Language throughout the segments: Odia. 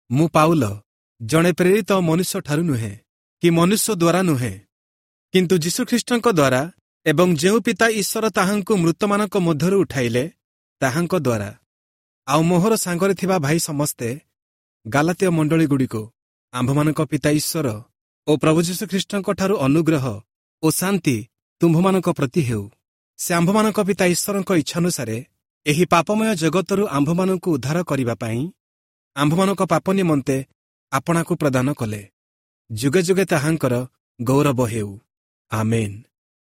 ମୁଁ ପାଉଲ, ଜଣେ ପ୍ରେରିତ, ମନୁଷ୍ୟଠାରୁ ନୁହେଁ କି ମନୁଷ୍ୟ ଦ୍ୱାରା ନୁହେଁ, କିନ୍ତୁ ଯୀଶୁଖ୍ରୀଷ୍ଟଙ୍କ ଦ୍ୱାରା ଏବଂ ଯେଉଁ ପିତା ଈଶ୍ୱର ତାହାଙ୍କୁ ମୃତମାନଙ୍କ ମଧ୍ୟରୁ ଉଠାଇଲେ ତାହାଙ୍କ ଦ୍ୱାରା, ଆଉ ମୋହର ସାଙ୍ଗରେ ଥିବା ଭାଇ ସମସ୍ତେ ଗାଲାତୀୟ ମଣ୍ଡଳୀଗୁଡ଼ିକୁ, ଆମ୍ଭମାନଙ୍କ ପିତା ଈଶ୍ୱର ଓ ପ୍ରଭୁ ଯୀଶୁଖ୍ରୀଷ୍ଟଙ୍କ ଠାରୁ ଅନୁଗ୍ରହ ଓ ଶାନ୍ତି ତୁମ୍ଭମାନଙ୍କ ପ୍ରତି ହେଉ। ସେ ଆମ୍ଭମାନଙ୍କ ପିତା ଈଶ୍ୱରଙ୍କ ଇଚ୍ଛାନୁସାରେ ଏହି ପାପମୟ ଜଗତରୁ ଆମ୍ଭମାନଙ୍କୁ ଉଦ୍ଧାର କରିବା ପାଇଁ ଆମ୍ଭମାନଙ୍କ ପାପ ନିମନ୍ତେ ଆପଣାକୁ ପ୍ରଦାନ କଲେ। ଯୁଗେ ଯୁଗେ ତାହାଙ୍କର ଗୌରବ ହେଉ, ଆମେନ୍।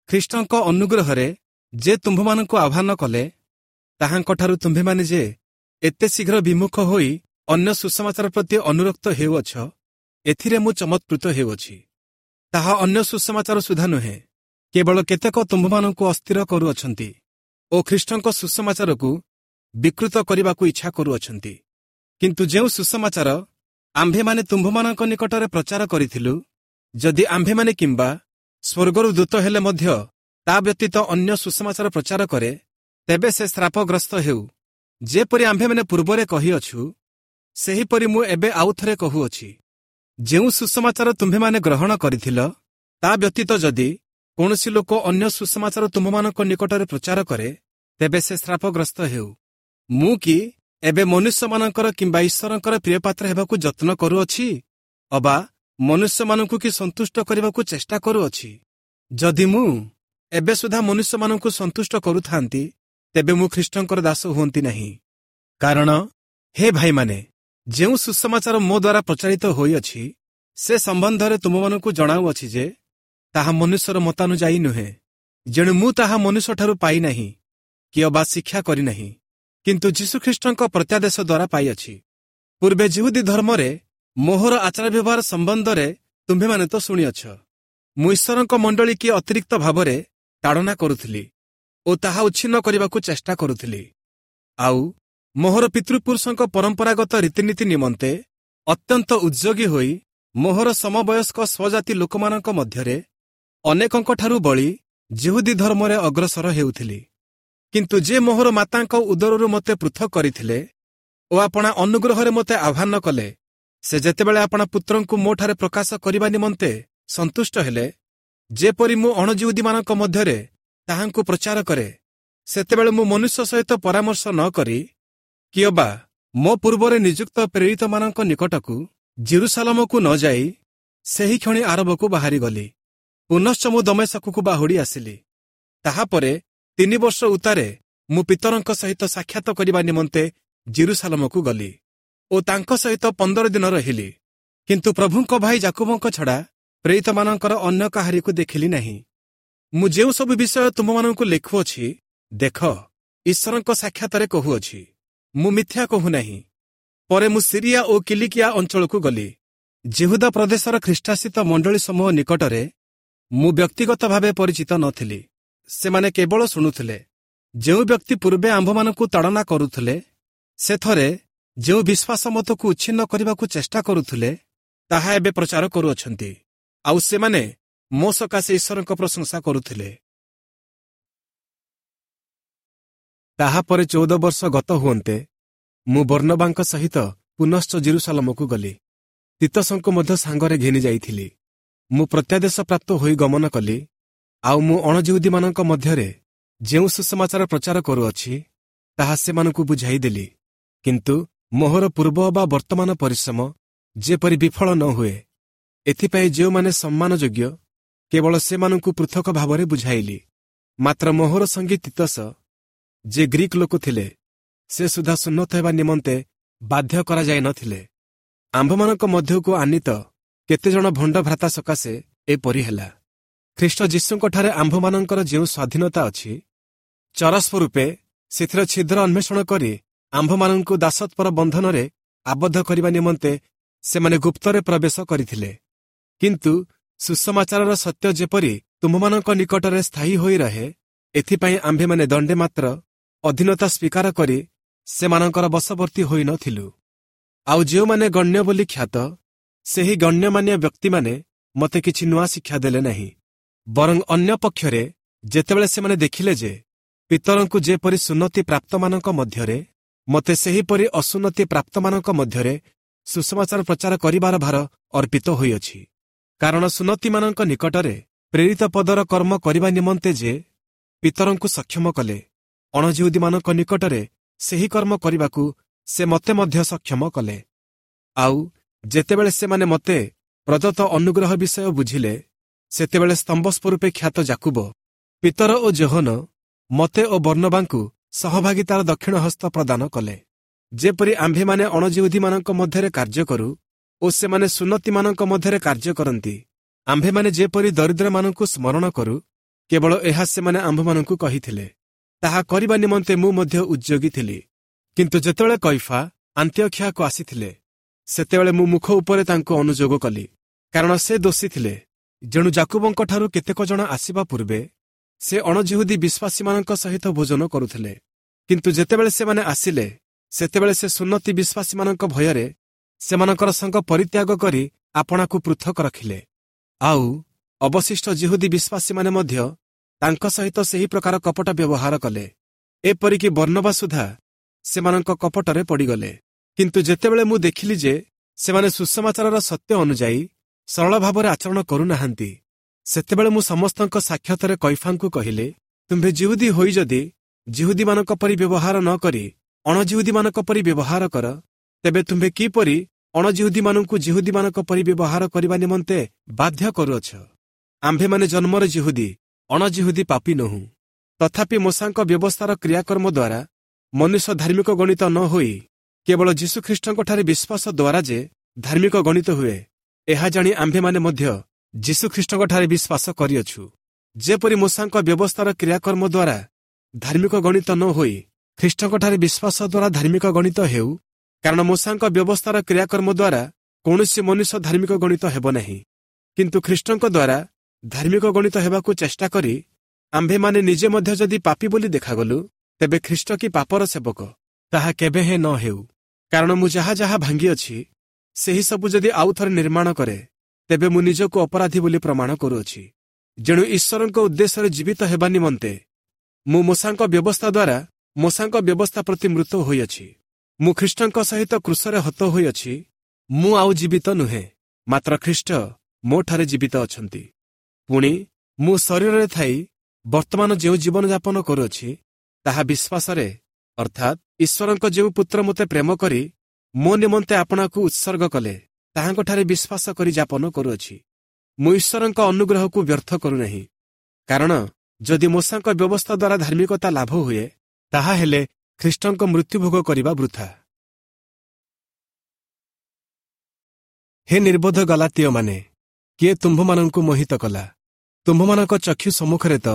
ଖ୍ରୀଷ୍ଟଙ୍କ ଅନୁଗ୍ରହରେ ଯେ ତୁମ୍ଭମାନଙ୍କୁ ଆହ୍ୱାନ କଲେ, ତାହାଙ୍କଠାରୁ ତୁମ୍ଭେମାନେ ଯେ ଏତେ ଶୀଘ୍ର ବିମୁଖ ହୋଇ ଅନ୍ୟ ସୁସମାଚାର ପ୍ରତି ଅନୁରକ୍ତ ହେଉଅଛ, ଏଥିରେ ମୁଁ ଚମତ୍କୃତ ହେଉଅଛି। ତାହା ଅନ୍ୟ ସୁସମାଚାର ସୁଦ୍ଧା ନୁହେଁ, କେବଳ କେତେକ ତୁମ୍ଭମାନଙ୍କୁ ଅସ୍ଥିର କରୁଅଛନ୍ତି ଓ ଖ୍ରୀଷ୍ଟଙ୍କ ସୁସମାଚାରକୁ ବିକୃତ କରିବାକୁ ଇଚ୍ଛା କରୁଅଛନ୍ତି। କିନ୍ତୁ ଯେଉଁ ସୁସମାଚାର ଆମ୍ଭେମାନେ ତୁମ୍ଭମାନଙ୍କ ନିକଟରେ ପ୍ରଚାର କରିଥିଲୁ, ଯଦି ଆମ୍ଭେମାନେ କିମ୍ବା ସ୍ୱର୍ଗରୁ ଦୂତ ହେଲେ ମଧ୍ୟ ତା ବ୍ୟତୀତ ଅନ୍ୟ ସୁସମାଚାର ପ୍ରଚାର କରେ, ତେବେ ସେ ଶ୍ରାପଗ୍ରସ୍ତ ହେଉ। ଯେପରି ଆମ୍ଭେମାନେ ପୂର୍ବରେ କହିଅଛୁ, ସେହିପରି ମୁଁ ଏବେ ଆଉଥରେ କହୁଅଛି, ଯେଉଁ ସୁସମାଚାର ତୁମ୍ଭେମାନେ ଗ୍ରହଣ କରିଥିଲ, ତା ବ୍ୟତୀତ ଯଦି କୌଣସି ଲୋକ ଅନ୍ୟ ସୁସମାଚାର ତୁମ୍ଭମାନଙ୍କ ନିକଟରେ ପ୍ରଚାର କରେ, ତେବେ ସେ ଶ୍ରାପଗ୍ରସ୍ତ ହେଉ। ମୁଁ କି ଏବେ ମନୁଷ୍ୟମାନଙ୍କର କିମ୍ବା ଈଶ୍ୱରଙ୍କର ପ୍ରିୟପାତ୍ର ହେବାକୁ ଯତ୍ନ କରୁଅଛି, ଅବା ମନୁଷ୍ୟମାନଙ୍କୁ କି ସନ୍ତୁଷ୍ଟ କରିବାକୁ ଚେଷ୍ଟା କରୁଅଛି? ଯଦି ମୁଁ ଏବେ ସୁଦ୍ଧା ମନୁଷ୍ୟମାନଙ୍କୁ ସନ୍ତୁଷ୍ଟ କରୁଥାନ୍ତି, ତେବେ ମୁଁ ଖ୍ରୀଷ୍ଟଙ୍କର ଦାସ ହୁଅନ୍ତି ନାହିଁ। କାରଣ ହେ ଭାଇମାନେ, ଯେଉଁ ସୁସମାଚାର ମୋ ଦ୍ୱାରା ପ୍ରଚାରିତ ହୋଇଅଛି, ସେ ସମ୍ବନ୍ଧରେ ତୁମମାନଙ୍କୁ ଜଣାଉଅଛି ଯେ ତାହା ମନୁଷ୍ୟର ମତାନୁଯାୟୀ ନୁହେଁ। ଯେଣୁ ମୁଁ ତାହା ମନୁଷ୍ୟଠାରୁ ପାଇନାହିଁ କି ଅବା ଶିକ୍ଷା କରିନାହିଁ, କିନ୍ତୁ ଯୀଶୁଖ୍ରୀଷ୍ଟଙ୍କ ପ୍ରତ୍ୟାଦେଶ ଦ୍ୱାରା ପାଇଅଛି। ପୂର୍ବେ ଜିହୁଦୀ ଧର୍ମରେ ମୋହର ଆଚାର ବ୍ୟବହାର ସମ୍ବନ୍ଧରେ ତୁମ୍ଭେମାନେ ତ ଶୁଣିଅଛ। ମୁଁ ଈଶ୍ୱରଙ୍କ ମଣ୍ଡଳୀ କି ଅତିରିକ୍ତ ଭାବରେ ତାଡ଼ନା କରୁଥିଲି ଓ ତାହା ଉଚ୍ଛିନ୍ନ କରିବାକୁ ଚେଷ୍ଟା କରୁଥିଲି। ଆଉ ମୋହର ପିତୃପୁରୁଷଙ୍କ ପରମ୍ପରାଗତ ରୀତିନୀତି ନିମନ୍ତେ ଅତ୍ୟନ୍ତ ଉଦ୍ଯୋଗୀ ହୋଇ ମୋହର ସମବୟସ୍କ ସ୍ୱଜାତି ଲୋକମାନଙ୍କ ମଧ୍ୟରେ ଅନେକଙ୍କଠାରୁ ବଳି ଜିହୁଦୀ ଧର୍ମରେ ଅଗ୍ରସର ହେଉଥିଲି। କିନ୍ତୁ ଯେ ମୋହର ମାତାଙ୍କ ଉଦରରୁ ମୋତେ ପୃଥକ କରିଥିଲେ ଓ ଆପଣା ଅନୁଗ୍ରହରେ ମୋତେ ଆହ୍ୱାନ କଲେ, ସେ ଯେତେବେଳେ ଆପଣା ପୁତ୍ରଙ୍କୁ ମୋଠାରେ ପ୍ରକାଶ କରିବା ନିମନ୍ତେ ସନ୍ତୁଷ୍ଟ ହେଲେ, ଯେପରି ମୁଁ ଅଣଜିହୁଦୀମାନଙ୍କ ମଧ୍ୟରେ ତାହାଙ୍କୁ ପ୍ରଚାର କରେ, ସେତେବେଳେ ମୁଁ ମନୁଷ୍ୟ ସହିତ ପରାମର୍ଶ ନ କରି କି ଅବା ମୋ ପୂର୍ବରେ ନିଯୁକ୍ତ ପ୍ରେରିତମାନଙ୍କ ନିକଟକୁ ଜିରୁସାଲମକୁ ନ ଯାଇ ସେହି କ୍ଷଣି ଆରବକୁ ବାହାରିଗଲି। ପୁନଶ୍ଚ ମୁଁ ଦମେଶକକୁ ବାହୁଡ଼ି ଆସିଲି। ତାହାପରେ 3 ବର୍ଷ ଉତ୍ତାରେ ମୁଁ ପିତରଙ୍କ ସହିତ ସାକ୍ଷାତ କରିବା ନିମନ୍ତେ ଜିରୁସାଲମକୁ ଗଲି ଓ ତାଙ୍କ ସହିତ 15 ଦିନ ରହିଲି। କିନ୍ତୁ ପ୍ରଭୁଙ୍କ ଭାଇ ଜାକୁବଙ୍କ ଛଡ଼ା ପ୍ରେରିତମାନଙ୍କର ଅନ୍ୟ କାହାରିକୁ ଦେଖିଲି ନାହିଁ। ମୁଁ ଯେଉଁ ସବୁ ବିଷୟ ତୁମମାନଙ୍କୁ ଲେଖୁଅଛି, ଦେଖ, ଈଶ୍ୱରଙ୍କ ସାକ୍ଷାତରେ କହୁଅଛି, ମୁଁ ମିଥ୍ୟା କହୁନାହିଁ। ପରେ ମୁଁ ସିରିଆ ଓ କିଲିକିଆ ଅଞ୍ଚଳକୁ ଗଲି। ଜିହୁଦା ପ୍ରଦେଶର ଖ୍ରୀଷ୍ଟାସିତ ମଣ୍ଡଳୀ ସମୂହ ନିକଟରେ ମୁଁ ବ୍ୟକ୍ତିଗତ ଭାବେ ପରିଚିତ ନଥିଲି। ସେମାନେ କେବଳ ଶୁଣୁଥିଲେ। ଯେଉଁ ବ୍ୟକ୍ତି ପୂର୍ବେ ଆମ୍ଭମାନଙ୍କୁ ତାଡ଼ନା କରୁଥିଲେ, ସେଥରେ ଯେଉଁ ବିଶ୍ୱାସ ମତକୁ ଉଚ୍ଛିନ୍ନ କରିବାକୁ ଚେଷ୍ଟା କରୁଥିଲେ, ତାହା ଏବେ ପ୍ରଚାର କରୁଅଛନ୍ତି। ଆଉ ସେମାନେ ମୋ ସକାଶେ ଈଶ୍ୱରଙ୍କ ପ୍ରଶଂସା କରୁଥିଲେ। ତାହାପରେ 14 ବର୍ଷ ଗତ ହୁଅନ୍ତେ ମୁଁ ବର୍ଣ୍ଣବାଙ୍କ ସହିତ ପୁନଶ୍ଚ ଜିରୁସାଲମକୁ ଗଲି। ତୀତସଙ୍କୁ ମଧ୍ୟ ସାଙ୍ଗରେ ଘେନି ଯାଇଥିଲି। ମୁଁ ପ୍ରତ୍ୟାଦେଶ ପ୍ରାପ୍ତ ହୋଇ ଗମନ କଲି। ଆଉ ମୁଁ ଅଣଜିହୁଦୀମାନଙ୍କ ମଧ୍ୟରେ ଯେଉଁ ସୁସମାଚାର ପ୍ରଚାର କରୁଅଛି, ତାହା ସେମାନଙ୍କୁ ବୁଝାଇଦେଲି। କିନ୍ତୁ ମୋହର ପୂର୍ବ ବା ବର୍ତ୍ତମାନ ପରିଶ୍ରମ ଯେପରି ବିଫଳ ନ ହୁଏ, ଏଥିପାଇଁ ଯେଉଁମାନେ ସମ୍ମାନଯୋଗ୍ୟ କେବଳ ସେମାନଙ୍କୁ ପୃଥକ ଭାବରେ ବୁଝାଇଲି। ମାତ୍ର ମୋହର ସଙ୍ଗୀ ତୀତସ, ଯେ ଗ୍ରୀକ୍ ଲୋକ ଥିଲେ, ସେ ସୁଦ୍ଧା ସୁନ୍ନତ ହେବା ନିମନ୍ତେ ବାଧ୍ୟ କରାଯାଇ ନଥିଲେ। ଆମ୍ଭମାନଙ୍କ ମଧ୍ୟକୁ ଆନିତ କେତେଜଣ ଭଣ୍ଡ ଭ୍ରାତା ସକାଶେ ଏପରି ହେଲା। ଖ୍ରୀଷ୍ଟ ଯୀଶୁଙ୍କଠାରେ ଆମ୍ଭମାନଙ୍କର ଯେଉଁ ସ୍ୱାଧୀନତା ଅଛି, ଚରସ୍ୱ ରୂପେ ସେଥିର ଛିଦ୍ର ଅନ୍ୱେଷଣ କରି ଆମ୍ଭମାନଙ୍କୁ ଦାସତ୍ୱର ବନ୍ଧନରେ ଆବଦ୍ଧ କରିବା ନିମନ୍ତେ ସେମାନେ ଗୁପ୍ତରେ ପ୍ରବେଶ କରିଥିଲେ। କିନ୍ତୁ ସୁସମାଚାରର ସତ୍ୟ ଯେପରି ତୁମ୍ଭମାନଙ୍କ ନିକଟରେ ସ୍ଥାୟୀ ହୋଇ ରହେ, ଏଥିପାଇଁ ଆମ୍ଭେମାନେ ଦଣ୍ଡେ ମାତ୍ର ଅଧୀନତା ସ୍ୱୀକାର କରି ସେମାନଙ୍କର ବଶବର୍ତ୍ତୀ ହୋଇନଥିଲୁ। ଆଉ ଯେଉଁମାନେ ଗଣ୍ୟ ବୋଲି ଖ୍ୟାତ, ସେହି ଗଣ୍ୟମାନ୍ୟ ବ୍ୟକ୍ତିମାନେ ମୋତେ କିଛି ନୂଆ ଶିକ୍ଷା ଦେଲେ ନାହିଁ। ବରଂ ଅନ୍ୟ ପକ୍ଷରେ ଯେତେବେଳେ ସେମାନେ ଦେଖିଲେ ଯେ ପିତରଙ୍କୁ ଯେପରି ସୁନ୍ନତି ପ୍ରାପ୍ତମାନଙ୍କ ମଧ୍ୟରେ, ମୋତେ ସେହିପରି ଅସୁନ୍ନତି ପ୍ରାପ୍ତମାନଙ୍କ ମଧ୍ୟରେ ସୁସମାଚାର ପ୍ରଚାର କରିବାର ଭାର ଅର୍ପିତ ହୋଇଅଛି। କାରଣ ସୁନ୍ନତିମାନଙ୍କ ନିକଟରେ ପ୍ରେରିତ ପଦର କର୍ମ କରିବା ନିମନ୍ତେ ଯେ ପିତରଙ୍କୁ ସକ୍ଷମ କଲେ, ଅଣଜିହୁଦୀମାନଙ୍କ ନିକଟରେ ସେହି କର୍ମ କରିବାକୁ ସେ ମୋତେ ମଧ୍ୟ ସକ୍ଷମ କଲେ। ଆଉ ଯେତେବେଳେ ସେମାନେ ମୋତେ ପ୍ରଦତ୍ତ ଅନୁଗ୍ରହ ବିଷୟ ବୁଝିଲେ, ସେତେବେଳେ ସ୍ତମ୍ଭ ସ୍ୱରୂପେ ଖ୍ୟାତ ଯାକୁବ, ପିତର ଓ ଯୋହନ ମୋତେ ଓ ବର୍ଣ୍ଣବାଙ୍କୁ ସହଭାଗିତାର ଦକ୍ଷିଣ ହସ୍ତ ପ୍ରଦାନ କଲେ, ଯେପରି ଆମ୍ଭେମାନେ ଅଣଜିହୁଦୀମାନଙ୍କ ମଧ୍ୟରେ କାର୍ଯ୍ୟ କରୁ ଓ ସେମାନେ ସୁନ୍ନତିମାନଙ୍କ ମଧ୍ୟରେ କାର୍ଯ୍ୟ କରନ୍ତି। ଆମ୍ଭେମାନେ ଯେପରି ଦରିଦ୍ରମାନଙ୍କୁ ସ୍ମରଣ କରୁ, କେବଳ ଏହା ସେମାନେ ଆମ୍ଭମାନଙ୍କୁ କହିଥିଲେ। ତାହା କରିବା ନିମନ୍ତେ ମୁଁ ମଧ୍ୟ ଉଦ୍ଯୋଗୀ ଥିଲି। କିନ୍ତୁ ଯେତେବେଳେ କୈଫା ଆନ୍ତିଓଖିଆକୁ ଆସିଥିଲେ, ସେତେବେଳେ ମୁଁ ମୁଖ ଉପରେ ତାଙ୍କୁ ଅନୁଯୋଗ କଲି, କାରଣ ସେ ଦୋଷୀ ଥିଲେ। ଯେଣୁ ଯାକୁବଙ୍କଠାରୁ କେତେକ ଜଣ ଆସିବା ପୂର୍ବେ ସେ ଅଣଜିହୁଦୀ ବିଶ୍ୱାସୀମାନଙ୍କ ସହିତ ଭୋଜନ କରୁଥିଲେ। କିନ୍ତୁ ଯେତେବେଳେ ସେମାନେ ଆସିଲେ, ସେତେବେଳେ ସେ ସୁନ୍ନତି ବିଶ୍ୱାସୀମାନଙ୍କ ଭୟରେ ସେମାନଙ୍କର ସଙ୍ଗ ପରିତ୍ୟାଗ କରି ଆପଣାକୁ ପୃଥକ ରଖିଲେ। ଆଉ ଅବଶିଷ୍ଟ ଜିହୁଦୀ ବିଶ୍ୱାସୀମାନେ ମଧ୍ୟ ତାଙ୍କ ସହିତ ସେହି ପ୍ରକାର କପଟ ବ୍ୟବହାର କଲେ, ଏପରିକି ବର୍ଣ୍ଣବା ସୁଦ୍ଧା ସେମାନଙ୍କ କପଟରେ ପଡ଼ିଗଲେ। କିନ୍ତୁ ଯେତେବେଳେ ମୁଁ ଦେଖିଲି ଯେ ସେମାନେ ସୁସମାଚାରର ସତ୍ୟ ଅନୁଯାୟୀ ସରଳ ଭାବରେ ଆଚରଣ କରୁନାହାନ୍ତି, ସେତେବେଳେ ମୁଁ ସମସ୍ତଙ୍କ ସାକ୍ଷାତରେ କୈଫାଙ୍କୁ କହିଲି, ତୁମ୍ଭେ ଜିହୁଦୀ ହୋଇ ଯଦି ଜିହୁଦୀମାନଙ୍କ ପରି ବ୍ୟବହାର ନ କରି ଅଣଜିହୁଦୀମାନଙ୍କ ପରି ବ୍ୟବହାର କର, ତେବେ ତୁମ୍ଭେ କିପରି ଅଣଜିହୁଦୀମାନଙ୍କୁ ଜିହୁଦୀମାନଙ୍କ ପରି ବ୍ୟବହାର କରିବା ନିମନ୍ତେ ବାଧ୍ୟ କରୁଅଛ? ଆମ୍ଭେମାନେ ଜନ୍ମର ଜିହୁଦୀ, ଅଣଜିହୁଦୀ ପାପୀ ନୋହୁଁ। ତଥାପି ମୋଶାଙ୍କ ବ୍ୟବସ୍ଥାର କ୍ରିୟାକର୍ମ ଦ୍ୱାରା ମନୁଷ୍ୟ ଧାର୍ମିକ ଗଣିତ ନ ହୋଇ କେବଳ ଯୀଶୁଖ୍ରୀଷ୍ଟଙ୍କଠାରେ ବିଶ୍ୱାସ ଦ୍ୱାରା ଯେ ଧାର୍ମିକ ଗଣିତ ହୁଏ, ଏହା ଜାଣି ଆମ୍ଭେମାନେ ମଧ୍ୟ ଯୀଶୁଖ୍ରୀଷ୍ଟଙ୍କଠାରେ ବିଶ୍ୱାସ କରିଅଛୁ। ଯେପରି ମୋଶାଙ୍କ ବ୍ୟବସ୍ଥାର କ୍ରିୟାକର୍ମ ଦ୍ୱାରା ଧାର୍ମିକ ଗଣିତ ନ ହୋଇ ଖ୍ରୀଷ୍ଟଙ୍କଠାରେ ବିଶ୍ୱାସ ଦ୍ୱାରା ଧାର୍ମିକ ଗଣିତ ହେଉ, କାରଣ ମୋଶାଙ୍କ ବ୍ୟବସ୍ଥାର କ୍ରିୟାକର୍ମ ଦ୍ୱାରା କୌଣସି ମନୁଷ୍ୟ ଧାର୍ମିକ ଗଣିତ ହେବ ନାହିଁ। କିନ୍ତୁ ଖ୍ରୀଷ୍ଟଙ୍କ ଦ୍ୱାରା ଧାର୍ମିକ ଗଣିତ ହେବାକୁ ଚେଷ୍ଟା କରି ଆମ୍ଭେମାନେ ନିଜେ ମଧ୍ୟ ଯଦି ପାପୀ ବୋଲି ଦେଖାଗଲୁ, ତେବେ ଖ୍ରୀଷ୍ଟ କି ପାପର ସେବକ? ତାହା କେବେ ହେଁ ନ ହେଉ। କାରଣ ମୁଁ ଯାହା ଯାହା ଭାଙ୍ଗିଅଛି, ସେହି ସବୁ ଯଦି ଆଉ ଥରେ ନିର୍ମାଣ କରେ, ତେବେ ମୁଁ ନିଜକୁ ଅପରାଧୀ ବୋଲି ପ୍ରମାଣ କରୁଅଛି। ଯେଣୁ ଈଶ୍ୱରଙ୍କ ଉଦ୍ଦେଶ୍ୟରେ ଜୀବିତ ହେବା ନିମନ୍ତେ ମୁଁ ମୋଶାଙ୍କ ବ୍ୟବସ୍ଥା ଦ୍ୱାରା ମୋଶାଙ୍କ ବ୍ୟବସ୍ଥା ପ୍ରତି ମୃତ ହୋଇଅଛି। ମୁଁ ଖ୍ରୀଷ୍ଟଙ୍କ ସହିତ କ୍ରୁଶରେ ହତ ହୋଇଅଛି। ମୁଁ ଆଉ ଜୀବିତ ନୁହେଁ, ମାତ୍ର ଖ୍ରୀଷ୍ଟ ମୋଠାରେ ଜୀବିତ ଅଛନ୍ତି। ପୁଣି ମୁଁ ଶରୀରରେ ଥାଇ ବର୍ତ୍ତମାନ ଯେଉଁ ଜୀବନଯାପନ କରୁଅଛି, ତାହା ବିଶ୍ୱାସରେ, ଅର୍ଥାତ୍ ଈଶ୍ୱରଙ୍କ ଯେଉଁ ପୁତ୍ର ମୋତେ ପ୍ରେମ କରି ମୋ ନିମନ୍ତେ ଆପଣାକୁ ଉତ୍ସର୍ଗ କଲେ, ତାହାଙ୍କଠାରେ ବିଶ୍ୱାସ କରି ଯାପନ କରୁଅଛି। ମୁଁ ଈଶ୍ୱରଙ୍କ ଅନୁଗ୍ରହକୁ ବ୍ୟର୍ଥ କରୁନାହିଁ, କାରଣ ଯଦି ମୋଶାଙ୍କ ବ୍ୟବସ୍ଥା ଦ୍ୱାରା ଧାର୍ମିକତା ଲାଭ ହୁଏ, ତାହା ହେଲେ ଖ୍ରୀଷ୍ଟଙ୍କ ମୃତ୍ୟୁଭୋଗ କରିବା ବୃଥା। ହେ ନିର୍ବୋଧ ଗଲାତୀୟମାନେ, କିଏ ତୁମ୍ଭମାନଙ୍କୁ ମୋହିତ କଲା? ତୁମ୍ଭମାନଙ୍କ ଚକ୍ଷୁ ସମ୍ମୁଖରେ ତ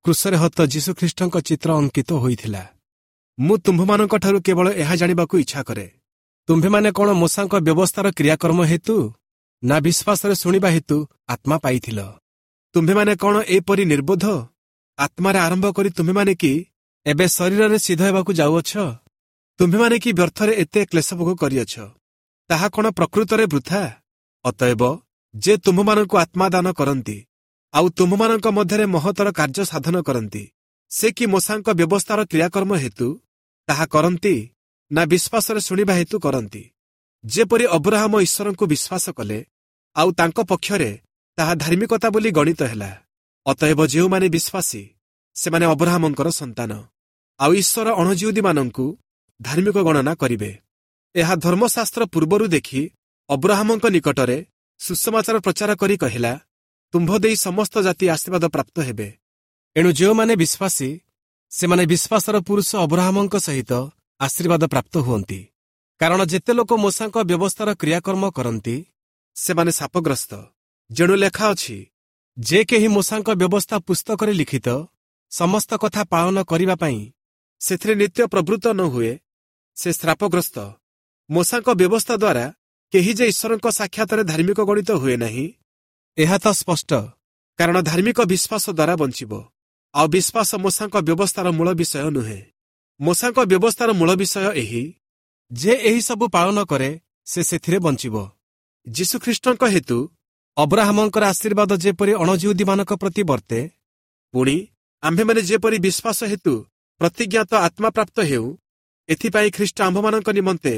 କ୍ରୁଶରେ ହତ ଯୀଶୁଖ୍ରୀଷ୍ଟଙ୍କ ଚିତ୍ର ଅଙ୍କିତ ହୋଇଥିଲା। ମୁଁ ତୁମ୍ଭମାନଙ୍କଠାରୁ କେବଳ ଏହା ଜାଣିବାକୁ ଇଚ୍ଛା କରେ, ତୁମ୍ଭେମାନେ କ'ଣ ମୋଶାଙ୍କ ବ୍ୟବସ୍ଥାର କ୍ରିୟାକର୍ମ ହେତୁ ନା ବିଶ୍ୱାସରେ ଶୁଣିବା ହେତୁ ଆତ୍ମା ପାଇଥିଲ? ତୁମ୍ଭେମାନେ କ'ଣ ଏପରି ନିର୍ବୋଧ? ଆତ୍ମାରେ ଆରମ୍ଭ କରି ତୁମ୍ଭେମାନେ କି ଏବେ ଶରୀରରେ ସିଦ୍ଧ ହେବାକୁ ଯାଉଅଛ? ତୁମ୍ଭେମାନେ କି ବ୍ୟର୍ଥରେ ଏତେ କ୍ଲେଶଭୋଗ କରିଅଛ? ତାହା କ'ଣ ପ୍ରକୃତରେ ବୃଥା? ଅତଏବ ଯେ ତୁମ୍ଭମାନଙ୍କୁ ଆତ୍ମା ଦାନ କରନ୍ତି ଆଉ ତୁମ୍ଭମାନଙ୍କ ମଧ୍ୟରେ ମହତର କାର୍ଯ୍ୟ ସାଧନ କରନ୍ତି, ସେ କି ମୋଶାଙ୍କ ବ୍ୟବସ୍ଥାର କ୍ରିୟାକର୍ମ ହେତୁ ତାହା କରନ୍ତି ନା ବିଶ୍ୱାସରେ ଶୁଣିବା ହେତୁ କରନ୍ତି? ଯେପରି ଅବ୍ରାହମ ଈଶ୍ୱରଙ୍କୁ ବିଶ୍ୱାସ କଲେ ଆଉ ତାଙ୍କ ପକ୍ଷରେ ତାହା ଧାର୍ମିକତା ବୋଲି ଗଣିତ ହେଲା। ଅତଏବ ଯେଉଁମାନେ ବିଶ୍ୱାସୀ, ସେମାନେ ଅବ୍ରାହମଙ୍କର ସନ୍ତାନ, ଆଉ ଈଶ୍ୱର ଅଣଜିହୁଦୀମାନଙ୍କୁ ଧାର୍ମିକ ଗଣନା କରିବେ। ଏହା ଧର୍ମଶାସ୍ତ୍ର ପୂର୍ବରୁ ଦେଖି ଅବ୍ରାହମଙ୍କ ନିକଟରେ ସୁସମାଚାର ପ୍ରଚାର କରି କହିଲା, ତୁମ୍ଭ ଦେଇ ସମସ୍ତ ଜାତି ଆଶୀର୍ବାଦ ପ୍ରାପ୍ତ ହେବେ। ଏଣୁ ଯେଉଁମାନେ ବିଶ୍ୱାସୀ, ସେମାନେ ବିଶ୍ୱାସର ପୁରୁଷ ଅବ୍ରାହମଙ୍କ ସହିତ ଆଶୀର୍ବାଦ ପ୍ରାପ୍ତ ହୁଅନ୍ତି। କାରଣ ଯେତେ ଲୋକ ମୋଶାଙ୍କ ବ୍ୟବସ୍ଥାର କ୍ରିୟାକର୍ମ କରନ୍ତି, ସେମାନେ ଶାପଗ୍ରସ୍ତ। ଯେଣୁ ଲେଖା ଅଛି, ଯେ କେହି ମୋଶାଙ୍କ ବ୍ୟବସ୍ଥା ପୁସ୍ତକରେ ଲିଖିତ ସମସ୍ତ କଥା ପାଳନ କରିବା ପାଇଁ ସେଥିରେ ନିତ୍ୟ ପ୍ରବୃତ୍ତ ନ ହୁଏ, ସେ ଶ୍ରାପଗ୍ରସ୍ତ। ମୋଶାଙ୍କ ବ୍ୟବସ୍ଥା ଦ୍ୱାରା କେହି ଯେ ଈଶ୍ୱରଙ୍କ ସାକ୍ଷାତରେ ଧାର୍ମିକ ଗଣିତ ହୁଏ ନାହିଁ, ଏହା ତ ସ୍ପଷ୍ଟ। କାରଣ ଧାର୍ମିକ ବିଶ୍ୱାସ ଦ୍ୱାରା ବଞ୍ଚିବ। ଆଉ ବିଶ୍ୱାସ ମୋଶାଙ୍କ ବ୍ୟବସ୍ଥାର ମୂଳ ବିଷୟ ନୁହେଁ। ମୋଶାଙ୍କ ବ୍ୟବସ୍ଥାର ମୂଳ ବିଷୟ ଏହି ଯେ ଏହି ସବୁ ପାଳନ କରେ, ସେ ସେଥିରେ ବଞ୍ଚିବ। ଯୀଶୁଖ୍ରୀଷ୍ଟଙ୍କ ହେତୁ ଅବ୍ରାହମଙ୍କର ଆଶୀର୍ବାଦ ଯେପରି ଅଣଜିହୁଦୀମାନଙ୍କ ପ୍ରତି ବର୍ତ୍ତେ, ପୁଣି ଆମ୍ଭେମାନେ ଯେପରି ବିଶ୍ୱାସ ହେତୁ ପ୍ରତିଜ୍ଞାତ ଆତ୍ମା ପ୍ରାପ୍ତ ହେଉ, ଏଥିପାଇଁ ଖ୍ରୀଷ୍ଟ ଆମ୍ଭମାନଙ୍କ ନିମନ୍ତେ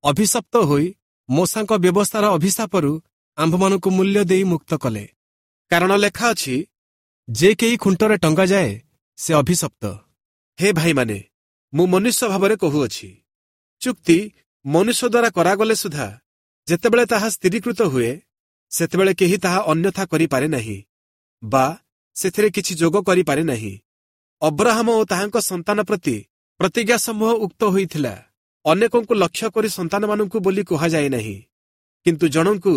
ଅଭିଶପ୍ତ ହୋଇ ମୋଶାଙ୍କ ବ୍ୟବସ୍ଥାର ଅଭିଶାପରୁ ଆମ୍ଭମାନଙ୍କୁ ମୂଲ୍ୟ ଦେଇ ମୁକ୍ତ କଲେ। କାରଣ ଲେଖା ଅଛି, ଯେ କେହି ଖୁଣ୍ଟରେ ଟଙ୍ଗାଯାଏ ସେ ଅଭିଶପ୍ତ। ହେ ଭାଇମାନେ, ମୁଁ ମନୁଷ୍ୟ ଭାବରେ କହୁଅଛି, ଚୁକ୍ତି ମନୁଷ୍ୟ ଦ୍ୱାରା କରାଗଲେ ସୁଦ୍ଧା ଯେତେବେଳେ ତାହା ସ୍ଥିରୀକୃତ ହୁଏ, ସେତେବେଳେ କେହି ତାହା ଅନ୍ୟଥା କରିପାରେ ନାହିଁ ବା ସେଥିରେ କିଛି ଯୋଗ କରିପାରେ ନାହିଁ। ଅବ୍ରାହମ ଓ ତାହାଙ୍କ ସନ୍ତାନ ପ୍ରତି ପ୍ରତିଜ୍ଞା ସମୂହ ଉକ୍ତ ହୋଇଥିଲା। ଅନେକଙ୍କୁ ଲକ୍ଷ୍ୟ କରି ସନ୍ତାନମାନଙ୍କୁ ବୋଲି କୁହାଯାଏ ନାହିଁ, କିନ୍ତୁ ଜଣଙ୍କୁ,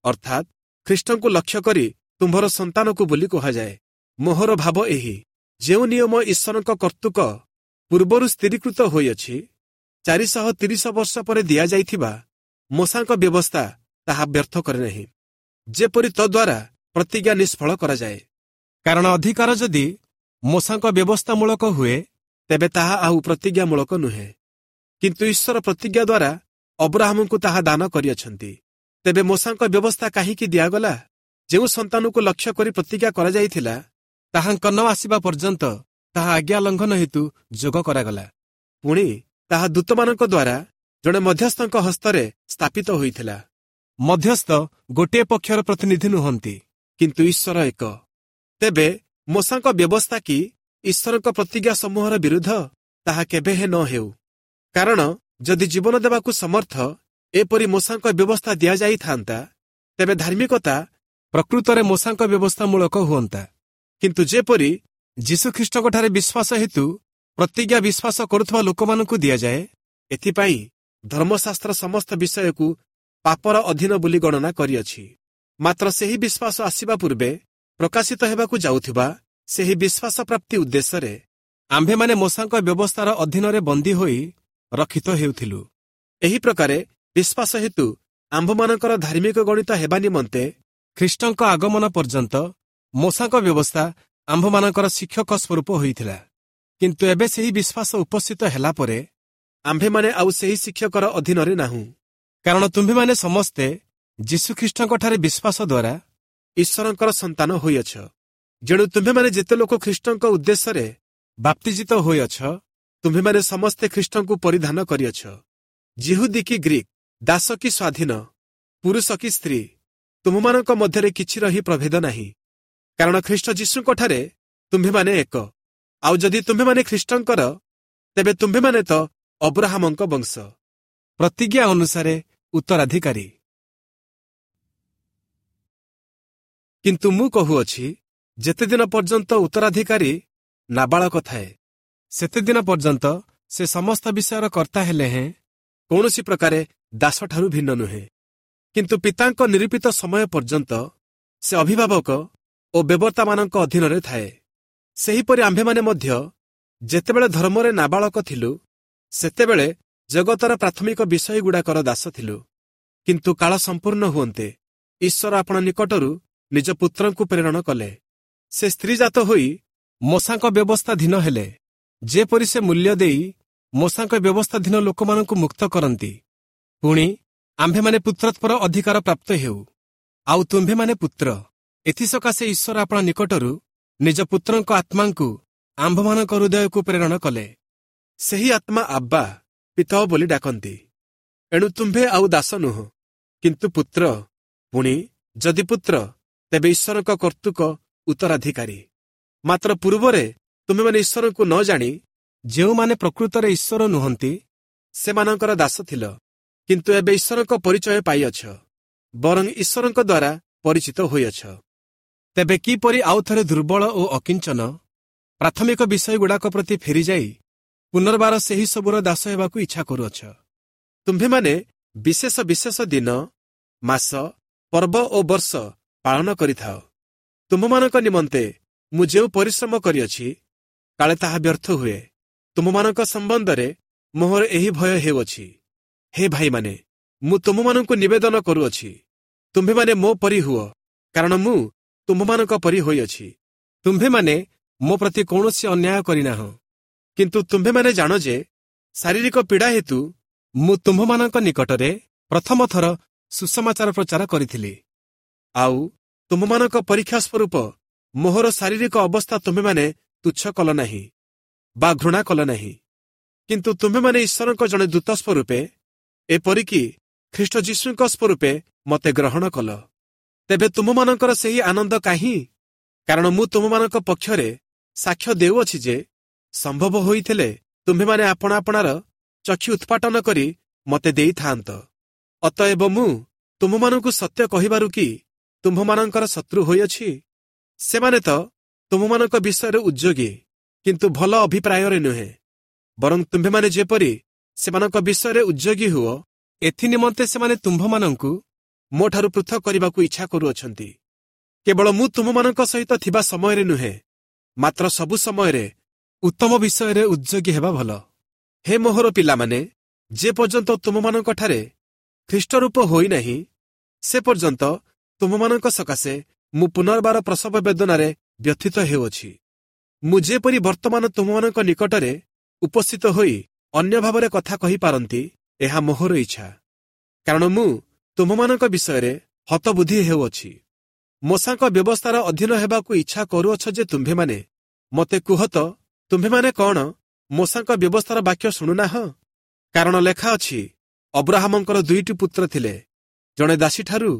ଅର୍ଥାତ୍ ଖ୍ରୀଷ୍ଟଙ୍କୁ ଲକ୍ଷ୍ୟ କରି ତୁମ୍ଭର ସନ୍ତାନକୁ ବୋଲି କୁହାଯାଏ। ମୋହର ଭାବ ଏହି, ଯେଉଁ ନିୟମ ଈଶ୍ୱରଙ୍କ କର୍ତ୍ତୃକ ପୂର୍ବରୁ ସ୍ଥିରୀକୃତ ହୋଇଅଛି, 430 ବର୍ଷ ପରେ ଦିଆଯାଇଥିବା ମୋଶାଙ୍କ ବ୍ୟବସ୍ଥା ତାହା ବ୍ୟର୍ଥ କରେ ନାହିଁ, ଯେପରି ତଦ୍ୱାରା ପ୍ରତିଜ୍ଞା ନିଷ୍ଫଳ କରାଯାଏ। କାରଣ ଅଧିକାର ଯଦି ମୋଶାଙ୍କ ବ୍ୟବସ୍ଥାମୂଳକ ହୁଏ, ତେବେ ତାହା ଆଉ ପ୍ରତିଜ୍ଞାମୂଳକ ନୁହେଁ, କିନ୍ତୁ ଈଶ୍ୱର ପ୍ରତିଜ୍ଞା ଦ୍ୱାରା ଅବ୍ରାହମଙ୍କୁ ତାହା ଦାନ କରିଅଛନ୍ତି। ତେବେ ମୋଶାଙ୍କ ବ୍ୟବସ୍ଥା କାହିଁକି ଦିଆଗଲା? ଯେଉଁ ସନ୍ତାନକୁ ଲକ୍ଷ୍ୟ କରି ପ୍ରତିଜ୍ଞା କରାଯାଇଥିଲା, ତାହାଙ୍କ ନ ଆସିବା ପର୍ଯ୍ୟନ୍ତ ତାହା ଆଜ୍ଞା ଲଙ୍ଘନ ହେତୁ ଯୋଗ କରାଗଲା। ପୁଣି ତାହା ଦୂତମାନଙ୍କ ଦ୍ୱାରା ଜଣେ ମଧ୍ୟସ୍ଥଙ୍କ ହସ୍ତରେ ସ୍ଥାପିତ ହୋଇଥିଲା। ମଧ୍ୟସ୍ଥ ଗୋଟିଏ ପକ୍ଷର ପ୍ରତିନିଧି ନୁହନ୍ତି, କିନ୍ତୁ ଈଶ୍ୱର ଏକ। ତେବେ ମୋଶାଙ୍କ ବ୍ୟବସ୍ଥା କି ଈଶ୍ୱରଙ୍କ ପ୍ରତିଜ୍ଞା ସମୂହର ବିରୁଦ୍ଧ? ତାହା କେବେ ହେ ନ ହେଉ। କାରଣ ଯଦି ଜୀବନ ଦେବାକୁ ସମର୍ଥ ଏପରି ମୋଶାଙ୍କ ବ୍ୟବସ୍ଥା ଦିଆଯାଇଥାନ୍ତା, ତେବେ ଧାର୍ମିକତା ପ୍ରକୃତରେ ମୋଶାଙ୍କ ବ୍ୟବସ୍ଥାମୂଳକ ହୁଅନ୍ତା। କିନ୍ତୁ ଯେପରି ଯୀଶୁଖ୍ରୀଷ୍ଟଙ୍କଠାରେ ବିଶ୍ୱାସ ହେତୁ ପ୍ରତିଜ୍ଞା ବିଶ୍ୱାସ କରୁଥିବା ଲୋକମାନଙ୍କୁ ଦିଆଯାଏ, ଏଥିପାଇଁ ଧର୍ମଶାସ୍ତ୍ର ସମସ୍ତ ବିଷୟକୁ ପାପର ଅଧୀନ ବୋଲି ଗଣନା କରିଅଛି। ମାତ୍ର ସେହି ବିଶ୍ୱାସ ଆସିବା ପୂର୍ବେ ପ୍ରକାଶିତ ହେବାକୁ ଯାଉଥିବା ସେହି ବିଶ୍ୱାସ ପ୍ରାପ୍ତି ଉଦ୍ଦେଶ୍ୟରେ ଆମ୍ଭେମାନେ ମୋଶାଙ୍କ ବ୍ୟବସ୍ଥାର ଅଧୀନରେ ବନ୍ଦୀ ହୋଇ ରକ୍ଷିତ ହେଉଥିଲୁ। ଏହି ପ୍ରକାରେ ବିଶ୍ୱାସ ହେତୁ ଆମ୍ଭମାନଙ୍କର ଧାର୍ମିକ ଗଣିତ ହେବା ନିମନ୍ତେ ଖ୍ରୀଷ୍ଟଙ୍କ ଆଗମନ ପର୍ଯ୍ୟନ୍ତ ମୋଶାଙ୍କ ବ୍ୟବସ୍ଥା ଆମ୍ଭମାନଙ୍କର ଶିକ୍ଷକ ସ୍ୱରୂପ ହୋଇଥିଲା। କିନ୍ତୁ ଏବେ ସେହି ବିଶ୍ୱାସ ଉପସ୍ଥିତ ହେଲା ପରେ ଆମ୍ଭେମାନେ ଆଉ ସେହି ଶିକ୍ଷକର ଅଧୀନରେ ନାହୁଁ। କାରଣ ତୁମ୍ଭେମାନେ ସମସ୍ତେ ଯୀଶୁଖ୍ରୀଷ୍ଟଙ୍କଠାରେ ବିଶ୍ୱାସ ଦ୍ୱାରା ଈଶ୍ୱରଙ୍କର ସନ୍ତାନ ହୋଇଅଛ। ଯେଣୁ ତୁମ୍ଭେମାନେ ଯେତେ ଲୋକ ଖ୍ରୀଷ୍ଟଙ୍କ ଉଦ୍ଦେଶ୍ୟରେ ବାପ୍ତିଜିତ ହୋଇଅଛ, ତୁମ୍ଭେମାନେ ସମସ୍ତେ ଖ୍ରୀଷ୍ଟଙ୍କୁ ପରିଧାନ କରିଅଛ। ଯିହୁଦୀ କି ଗ୍ରୀକ୍, ଦାସ କି ସ୍ୱାଧୀନ, ପୁରୁଷ କି ସ୍ତ୍ରୀ, ତୁମ୍ଭମାନଙ୍କ ମଧ୍ୟରେ କିଛି ରହି ପ୍ରଭେଦ ନାହିଁ। କାରଣ ଖ୍ରୀଷ୍ଟ ଯୀଶୁଙ୍କଠାରେ ତୁମ୍ଭେମାନେ ଏକ। ଆଉ ଯଦି ତୁମ୍ଭେମାନେ ଖ୍ରୀଷ୍ଟଙ୍କର, ତେବେ ତୁମ୍ଭେମାନେ ତ ଅବ୍ରାହମଙ୍କ ବଂଶ, ପ୍ରତିଜ୍ଞା ଅନୁସାରେ ଉତ୍ତରାଧିକାରୀ। କିନ୍ତୁ ମୁଁ କହୁଅଛି, ଯେତେଦିନ ପର୍ଯ୍ୟନ୍ତ ଉତ୍ତରାଧିକାରୀ ନାବାଳକ ଥାଏ, ସେତେଦିନ ପର୍ଯ୍ୟନ୍ତ ସେ ସମସ୍ତ ବିଷୟର କର୍ତ୍ତା ହେଲେ ହେଁ କୌଣସି ପ୍ରକାରେ ଦାସଠାରୁ ଭିନ୍ନ ନୁହେଁ। କିନ୍ତୁ ପିତାଙ୍କ ନିରୂପିତ ସମୟ ପର୍ଯ୍ୟନ୍ତ ସେ ଅଭିଭାବକ ଓ ବେବର୍ତ୍ତାମାନଙ୍କ ଅଧୀନରେ ଥାଏ। ସେହିପରି ଆମ୍ଭେମାନେ ମଧ୍ୟ ଯେତେବେଳେ ଧର୍ମରେ ନାବାଳକ ଥିଲୁ, ସେତେବେଳେ ଜଗତର ପ୍ରାଥମିକ ବିଷୟଗୁଡ଼ାକର ଦାସ ଥିଲୁ। କିନ୍ତୁ କାଳ ସମ୍ପୂର୍ଣ୍ଣ ହୁଅନ୍ତେ ଈଶ୍ୱର ଆପଣ ନିକଟରୁ ନିଜ ପୁତ୍ରଙ୍କୁ ପ୍ରେରଣ କଲେ। ସେ ସ୍ତ୍ରୀଜାତ ହୋଇ ମୋଶାଙ୍କ ବ୍ୟବସ୍ଥାଧୀନ ହେଲେ, ଯେପରି ସେ ମୂଲ୍ୟ ଦେଇ ମୋଶାଙ୍କ ବ୍ୟବସ୍ଥାଧୀନ ଲୋକମାନଙ୍କୁ ମୁକ୍ତ କରନ୍ତି। ପୁଣି ଆମ୍ଭେମାନେ ପୁତ୍ରତ୍ୱର ଅଧିକାର ପ୍ରାପ୍ତ ହେଉ। ଆଉ ତୁମ୍ଭେମାନେ ପୁତ୍ର, ଏଥିସକାଶେ ଈଶ୍ୱର ଆପଣା ନିକଟରୁ ନିଜ ପୁତ୍ରଙ୍କ ଆତ୍ମାଙ୍କୁ ଆମ୍ଭମାନଙ୍କ ହୃଦୟକୁ ପ୍ରେରଣ କଲେ। ସେହି ଆତ୍ମା ଆବ୍ବା, ପିତା ବୋଲି ଡାକନ୍ତି। ଏଣୁ ତୁମ୍ଭେ ଆଉ ଦାସ ନୁହଁ, କିନ୍ତୁ ପୁତ୍ର। ପୁଣି ଯଦି ପୁତ୍ର, ତେବେ ଈଶ୍ୱରଙ୍କ କର୍ତ୍ତୃକ ଉତ୍ତରାଧିକାରୀ। ମାତ୍ର ପୂର୍ବରେ ତୁମେମାନେ ଈଶ୍ୱରଙ୍କୁ ନ ଜାଣି ଯେଉଁମାନେ ପ୍ରକୃତରେ ଈଶ୍ୱର ନୁହନ୍ତି, ସେମାନଙ୍କର ଦାସ ଥିଲ। କିନ୍ତୁ ଏବେ ଈଶ୍ୱରଙ୍କ ପରିଚୟ ପାଇଅଛ, ବରଂ ଈଶ୍ୱରଙ୍କ ଦ୍ୱାରା ପରିଚିତ ହୋଇଅଛ। ତେବେ କିପରି ଆଉ ଥରେ ଦୁର୍ବଳ ଓ ଅକିଞ୍ଚନ ପ୍ରାଥମିକ ବିଷୟଗୁଡ଼ାକ ପ୍ରତି ଫେରିଯାଇ ପୁନର୍ବାର ସେହି ସବୁର ଦାସ ହେବାକୁ ଇଚ୍ଛା କରୁଅଛ? ତୁମ୍ଭେମାନେ ବିଶେଷ ବିଶେଷ ଦିନ, ମାସ, ପର୍ବ ଓ ବର୍ଷ ପାଳନ କରିଥାଅ। ତୁମ୍ଭମାନଙ୍କ ନିମନ୍ତେ ମୁଁ ଯେଉଁ ପରିଶ୍ରମ କରିଅଛି, କାଳେ ତାହା ବ୍ୟର୍ଥ ହୁଏ। ତୁମ୍ଭମାନଙ୍କ ସମ୍ବନ୍ଧରେ ମୋହର ଏହି ଭୟ ହେଉଅଛି। ହେ ଭାଇମାନେ, ମୁଁ ତୁମ୍ଭମାନଙ୍କୁ ନିବେଦନ କରୁଅଛି, ତୁମ୍ଭେମାନେ ମୋ ପରି ହୁଅ, କାରଣ ମୁଁ ତୁମ୍ଭମାନଙ୍କ ପରି ହୋଇଅଛି। ତୁମ୍ଭେମାନେ ମୋ ପ୍ରତି କୌଣସି ଅନ୍ୟାୟ କରିନାହଁ, କିନ୍ତୁ ତୁମ୍ଭେମାନେ ଜାଣ ଯେ ଶାରୀରିକ ପୀଡ଼ା ହେତୁ ମୁଁ ତୁମ୍ଭମାନଙ୍କ ନିକଟରେ ପ୍ରଥମ ଥର ସୁସମାଚାର ପ୍ରଚାର କରିଥିଲି। ଆଉ ତୁମ୍ଭମାନଙ୍କ ପରୀକ୍ଷା ସ୍ୱରୂପ ମୋହର ଶାରୀରିକ ଅବସ୍ଥା ତୁମ୍ଭେମାନେ ତୁଚ୍ଛ କଲ ନାହିଁ ବା ଘୃଣା କଲ ନାହିଁ, କିନ୍ତୁ ତୁମ୍ଭେମାନେ ଈଶ୍ୱରଙ୍କ ଜଣେ ଦୂତ ସ୍ୱରୂପେ, ଏପରିକି ଖ୍ରୀଷ୍ଟ ଯୀଶୁଙ୍କ ସ୍ୱରୂପେ ମୋତେ ଗ୍ରହଣ କଲ। ତେବେ ତୁମମାନଙ୍କର ସେହି ଆନନ୍ଦ କାହିଁ? କାରଣ ମୁଁ ତୁମମାନଙ୍କ ପକ୍ଷରେ ସାକ୍ଷ୍ୟ ଦେଉଅଛି ଯେ ସମ୍ଭବ ହୋଇଥିଲେ ତୁମ୍ଭେମାନେ ଆପଣା ଆପଣାର ଚକ୍ଷୁ ଉତ୍ପାଟନ କରି ମୋତେ ଦେଇଥାନ୍ତ। ଅତଏବ ମୁଁ ତୁମମାନଙ୍କୁ ସତ୍ୟ କହିବାରୁ କି ତୁମ୍ଭମାନଙ୍କର ଶତ୍ରୁ ହୋଇଅଛି? ସେମାନେ ତ ତୁମମାନଙ୍କ ବିଷୟରେ ଉଦ୍ଯୋଗୀ, କିନ୍ତୁ ଭଲ ଅଭିପ୍ରାୟରେ ନୁହେଁ, ବରଂ ତୁମ୍ଭେମାନେ ଯେପରି ସେମାନଙ୍କ ବିଷୟରେ ଉଦ୍ଯୋଗୀ ହୁଅ, ଏଥି ନିମନ୍ତେ ସେମାନେ ତୁମ୍ଭମାନଙ୍କୁ ମୋଠାରୁ ପୃଥକ କରିବାକୁ ଇଚ୍ଛା କରୁଅଛନ୍ତି। କେବଳ ମୁଁ ତୁମମାନଙ୍କ ସହିତ ଥିବା ସମୟରେ ନୁହେଁ, ମାତ୍ର ସବୁ ସମୟରେ ଉତ୍ତମ ବିଷୟରେ ଉଦ୍ଯୋଗୀ ହେବା ଭଲ। ହେ ମୋହର ପିଲାମାନେ, ଯେ ପର୍ଯ୍ୟନ୍ତ ତୁମମାନଙ୍କଠାରେ ଖ୍ରୀଷ୍ଟରୂପ ହୋଇନାହିଁ, ସେ ପର୍ଯ୍ୟନ୍ତ ତୁମମାନଙ୍କ ସକାଶେ ମୁଁ ପୁନର୍ବାର ପ୍ରସବ ବେଦନାରେ ବ୍ୟଥିତ ହେଉଅଛି। ମୁଁ ଯେପରି ବର୍ତ୍ତମାନ ତୁମମାନଙ୍କ ନିକଟରେ ଉପସ୍ଥିତ ହୋଇ ଅନ୍ୟ ଭାବରେ କଥା କହିପାରନ୍ତି, ଏହା ମୋହର ଇଚ୍ଛା। କାରଣ ମୁଁ ତୁମମାନଙ୍କ ବିଷୟରେ ହତବୁଦ୍ଧି ହେଉଅଛି। ମୋଶାଙ୍କ ବ୍ୟବସ୍ଥାର ଅଧୀନ ହେବାକୁ ଇଚ୍ଛା କରୁଅଛ ଯେ ତୁମ୍ଭେମାନେ, ମୋତେ କୁହ ତ, ତୁମ୍ଭେମାନେ କ'ଣ ମୋଶାଙ୍କ ବ୍ୟବସ୍ଥାର ବାକ୍ୟ ଶୁଣୁନାହଁ? କାରଣ ଲେଖା ଅଛି, ଅବ୍ରାହମଙ୍କର ଦୁଇଟି ପୁତ୍ର ଥିଲେ, ଜଣେ ଦାସୀଠାରୁ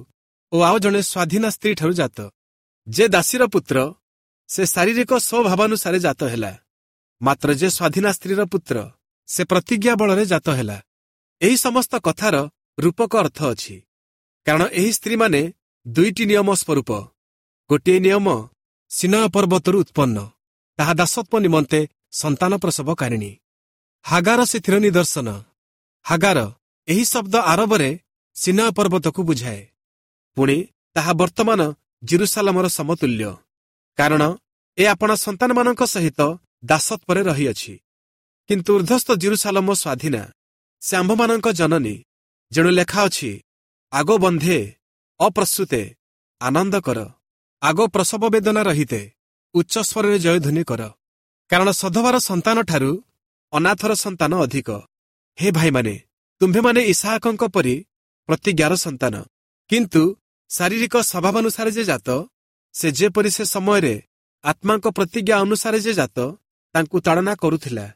ଓ ଆଉ ଜଣେ ସ୍ୱାଧୀନା ସ୍ତ୍ରୀଠାରୁ ଜାତ। ଯେ ଦାସୀର ପୁତ୍ର, ସେ ଶାରୀରିକ ସ୍ୱଭାବାନୁସାରେ ଜାତ ହେଲା, ମାତ୍ର ଯେ ସ୍ୱାଧୀନା ସ୍ତ୍ରୀର ପୁତ୍ର, ସେ ପ୍ରତିଜ୍ଞା ବଳରେ ଜାତ ହେଲା। ଏହି ସମସ୍ତ କଥାର ରୂପକ ଅର୍ଥ ଅଛି, କାରଣ ଏହି ସ୍ତ୍ରୀମାନେ ଦୁଇଟି ନିୟମ ସ୍ୱରୂପ। ଗୋଟିଏ ନିୟମ ସିନୟ ପର୍ବତରୁ ଉତ୍ପନ୍ନ, ତାହା ଦାସତ୍ୱ ନିମନ୍ତେ ସନ୍ତାନ ପ୍ରସବକାରିଣୀ। ହାଗାର ସେଥିର ନିଦର୍ଶନ। ହାଗାର ଏହି ଶବ୍ଦ ଆରବରେ ସିନୟ ପର୍ବତକୁ ବୁଝାଏ। ପୁଣି ତାହା ବର୍ତ୍ତମାନ ଜିରୁସାଲାମର ସମତୁଲ୍ୟ, କାରଣ ଏ ଆପଣା ସନ୍ତାନମାନଙ୍କ ସହିତ ଦାସତ୍ୱରେ ରହିଅଛି। କିନ୍ତୁ ଉର୍ଦ୍ଧ୍ୱସ୍ଥ ଜିରୁସାଲମ ସ୍ୱାଧୀନା, ସେ ଆମ୍ଭମାନଙ୍କ ଜନନୀ। ଯେଣୁ ଲେଖା ଅଛି, ଆଗୋ ବନ୍ଧେ ଅପ୍ରସୂତେ ଆନନ୍ଦ କର, ଆଗୋ ପ୍ରସବ ବେଦନା ରହିତେ ଉଚ୍ଚ ସ୍ୱରରେ ଜୟଧ୍ୱନି କର, କାରଣ ସଧବାର ସନ୍ତାନଠାରୁ ଅନାଥର ସନ୍ତାନ ଅଧିକ। ହେ ଭାଇମାନେ, ତୁମ୍ଭେମାନେ ଇସାହାକଙ୍କ ପରି ପ୍ରତିଜ୍ଞାର ସନ୍ତାନ। କିନ୍ତୁ ଶାରୀରିକ ସ୍ୱଭାବାନୁସାରେ ଯେ ଜାତ, ସେ ଯେପରି ସେ ସମୟରେ ଆତ୍ମାଙ୍କ ପ୍ରତିଜ୍ଞା ଅନୁସାରେ ଯେ ଜାତ ତାଙ୍କୁ ତାଡ଼ନା କରୁଥିଲା,